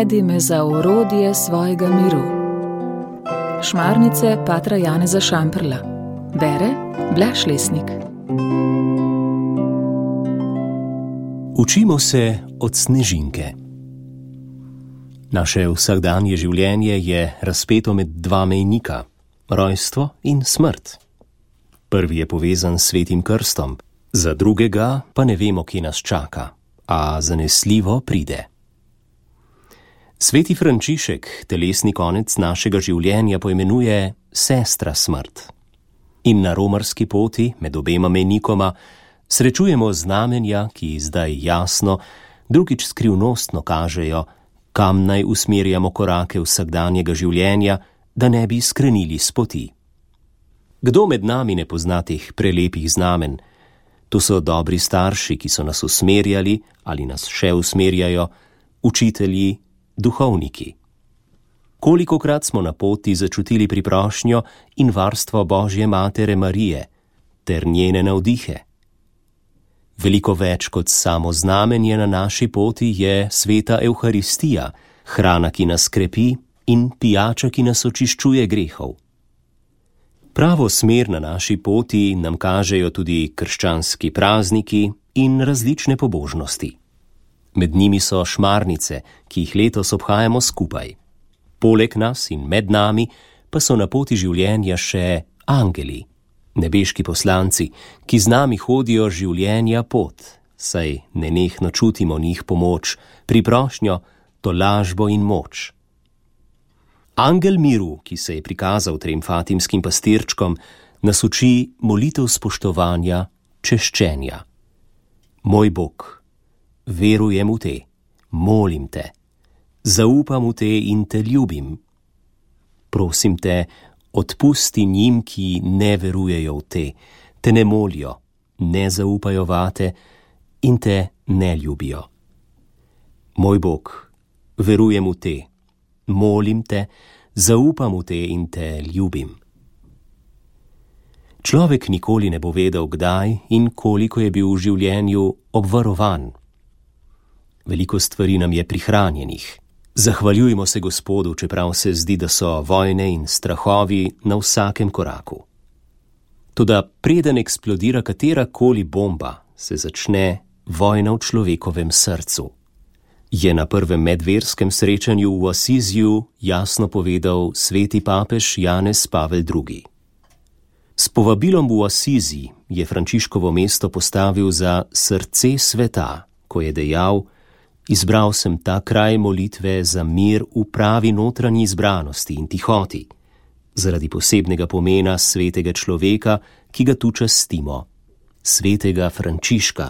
Navedi me za orodje svojega miru. Šmarnice patra Janeza Šamprla. Bere Blaž Lesnik. Učimo se od snežinke. Naše vsakdanje življenje je razpeto med dva mejnika, rojstvo in smrt. Prvi je povezan s svetim krstom, za drugega pa ne vemo, kje nas čaka, a zanesljivo pride. Sveti Frančišek telesni konec našega življenja poimenuje sestra smrt. In na romarski poti med obema mejnikoma srečujemo znamenja, ki zdaj jasno, drugič skrivnostno kažejo, kam naj usmerjamo korake vsakdanjega življenja, da ne bi skrenili s poti. Kdo med nami ne pozna teh prelepih znamen? To so dobri starši, ki so nas usmerjali ali nas še usmerjajo, učitelji, duhovniki. Kolikokrat smo na poti začutili priprošnjo in varstvo Božje Matere Marije ter njene navdihe. Veliko več kot samo znamenje na naši poti je sveta Evharistija, hrana, ki nas krepi, in pijača, ki nas očiščuje grehov. Pravo smer na naši poti nam kažejo tudi krščanski prazniki in različne pobožnosti. Med njimi so šmarnice, ki jih letos obhajamo skupaj. Poleg nas in med nami pa so na poti življenja še angeli, nebeški poslanci, ki z nami hodijo življenja pot, saj nenehno čutimo njih pomoč, priprošnjo, tolažbo in moč. Angel miru, ki se je prikazal trem fatimskim pastirčkom, nas uči molitev spoštovanja, češčenja. Moj Bog, verujem v te, molim te, zaupam v te in te ljubim. Prosim te, odpusti njim, ki ne verujejo v te, te ne molijo, ne zaupajo vate in te ne ljubijo. Moj Bog, verujem v te, molim te, zaupam v te in te ljubim. Človek nikoli ne bo vedel, kdaj in koliko je bil v življenju obvarovan. Veliko stvari nam je prihranjenih. Zahvaljujmo se Gospodu, čeprav se zdi, da so vojne in strahovi na vsakem koraku. Toda preden eksplodira katerakoli bomba, se začne vojna v človekovem srcu. Je na prvem medverskem srečanju v Asiziju jasno povedal sveti papež Janez Pavel II. S povabilom v Asizi je Frančiškovo mesto postavil za srce sveta, ko je dejal: izbral sem ta kraj molitve za mir v pravi notranji izbranosti in tihoti, zaradi posebnega pomena svetega človeka, ki ga tu častimo, svetega Frančiška,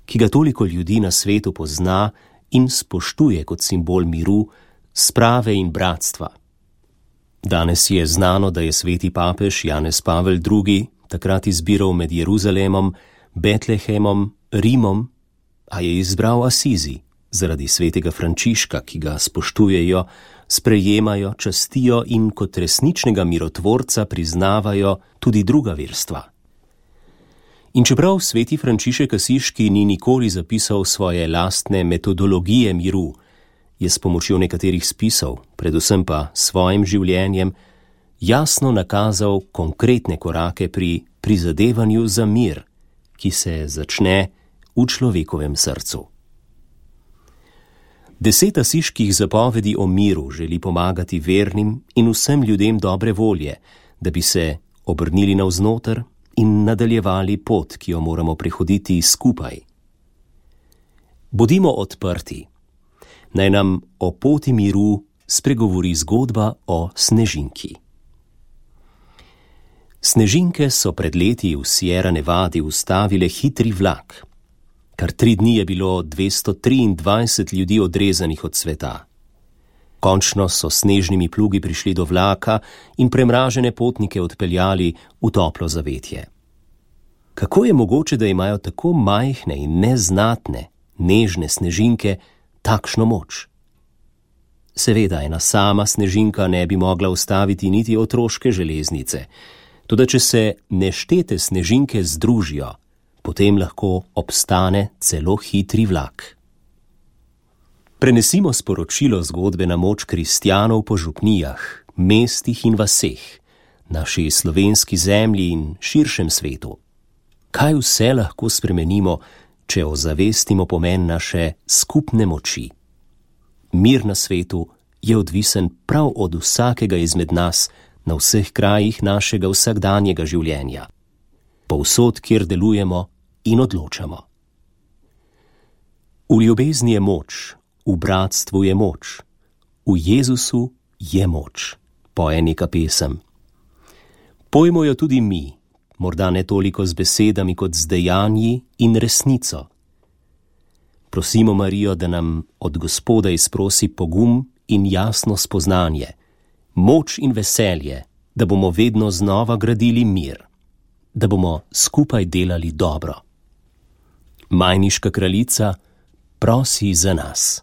ki ga toliko ljudi na svetu pozna in spoštuje kot simbol miru, sprave in bratstva. Danes je znano, da je sveti papež Janez Pavel II. Takrat izbiral med Jeruzalemom, Betlehemom, Rimom, a je izbral Asizi, zaradi svetega Frančiška, ki ga spoštujejo, sprejemajo, častijo in kot resničnega mirotvorca priznavajo tudi druga verstva. In čeprav sveti Frančišek Asiški ni nikoli zapisal svoje lastne metodologije miru, je s pomočjo nekaterih spisov, predvsem pa svojim življenjem, jasno nakazal konkretne korake pri prizadevanju za mir, ki se začne v človekovem srcu. 10 asiških zapovedi o miru želi pomagati vernim in vsem ljudem dobre volje, da bi se obrnili navznoter in nadaljevali pot, ki jo moramo prehoditi skupaj. Bodimo odprti. Naj nam o poti miru spregovori zgodba o snežinki. Snežinke so pred leti v Sierra Nevadi ustavile hitri vlak. Kar 3 dni je bilo 223 ljudi odrezanih od sveta. Končno so s snežnimi plugi prišli do vlaka in premražene potnike odpeljali v toplo zavetje. Kako je mogoče, da imajo tako majhne in neznatne, nežne snežinke takšno moč? Seveda ena sama snežinka ne bi mogla ustaviti niti otroške železnice, toda če se neštete snežinke združijo, potem lahko obstane celo hitri vlak. Prenesimo sporočilo zgodbe na moč kristjanov po župnijah, mestih in vaseh, naši slovenski zemlji in širšem svetu. Kaj vse lahko spremenimo, če ozavestimo pomen naše skupne moči? Mir na svetu je odvisen prav od vsakega izmed nas na vseh krajih našega vsakdanjega življenja, povsod, kjer delujemo in odločamo. V ljubezni je moč, v bratstvu je moč, v Jezusu je moč, poje neka pesem. Pojmo jo tudi mi, morda ne toliko z besedami kot z dejanji in resnico. Prosimo Marijo, da nam od Gospoda izprosi pogum in jasno spoznanje, moč in veselje, da bomo vedno znova gradili mir, da bomo skupaj delali dobro. Majniška kraljica prosi za nas.